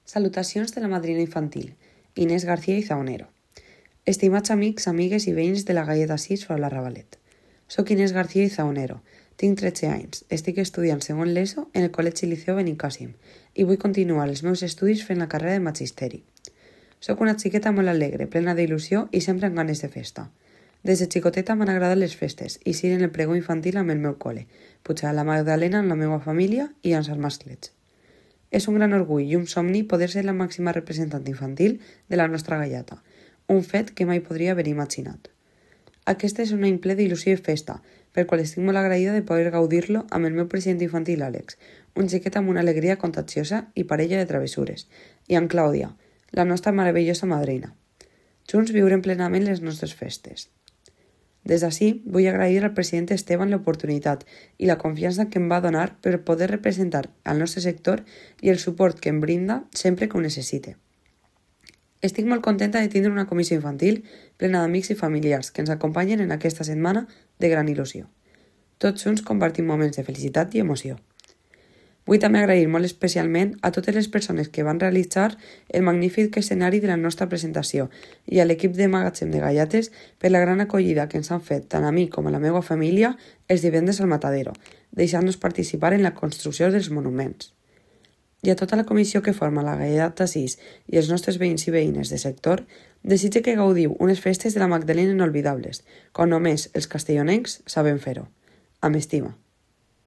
Salutacions de la madrina infantil, Inés García i Zaonero. Estimats amics, amigues i veïns de la Galleta 6 Faula Ravalet. Soc Inés García i Zaonero, tinc 13 anys, estic estudiant segon l'ESO en el Col·legi Liceu Benicàssim i vull continuar els meus estudis fent la carrera de magisteri. Soc una xiqueta molt alegre, plena d'il·lusió i sempre amb ganes de festa. Des de xicoteta m'han agradat les festes i ser en el pregó infantil amb el meu col·le, pujar a la Magdalena amb la meva família i amb els masclets. És un gran orgull i un somni poder ser la màxima representant infantil de la nostra gallata, un fet que mai podria haver imaginat. Aquest és un any ple d'il·lusió i festa, per qual estic molt agraïda de poder gaudir-lo amb el meu president infantil Àlex, un xiquet amb una alegria contagiosa i parella de travessures, i amb Clàudia, la nostra meravellosa madrina. Junts viurem plenament les nostres festes. Des d'ací, vull agrair al president Esteban l'oportunitat i la confiança que em va donar per poder representar al nostre sector i el suport que em brinda sempre que ho necessite. Estic molt contenta de tindre una comissió infantil plena d'amics i familiars que ens acompanyen en aquesta setmana de gran il·lusió. Tots junts compartim moments de felicitat i emoció. Vull també agrair molt especialment a totes les persones que van realitzar el magnífic escenari de la nostra presentació i a l'equip de Magatzem de Gallates per la gran acollida que ens han fet tant a mi com a la meva família els divendres al Matadero, deixant-nos participar en la construcció dels monuments. I a tota la comissió que forma la Galleta 6 i els nostres veïns i veïnes de sector, desitge que gaudiu unes festes de la Magdalena inolvidables, com només els castellonencs sabem fer-ho. Amb estima.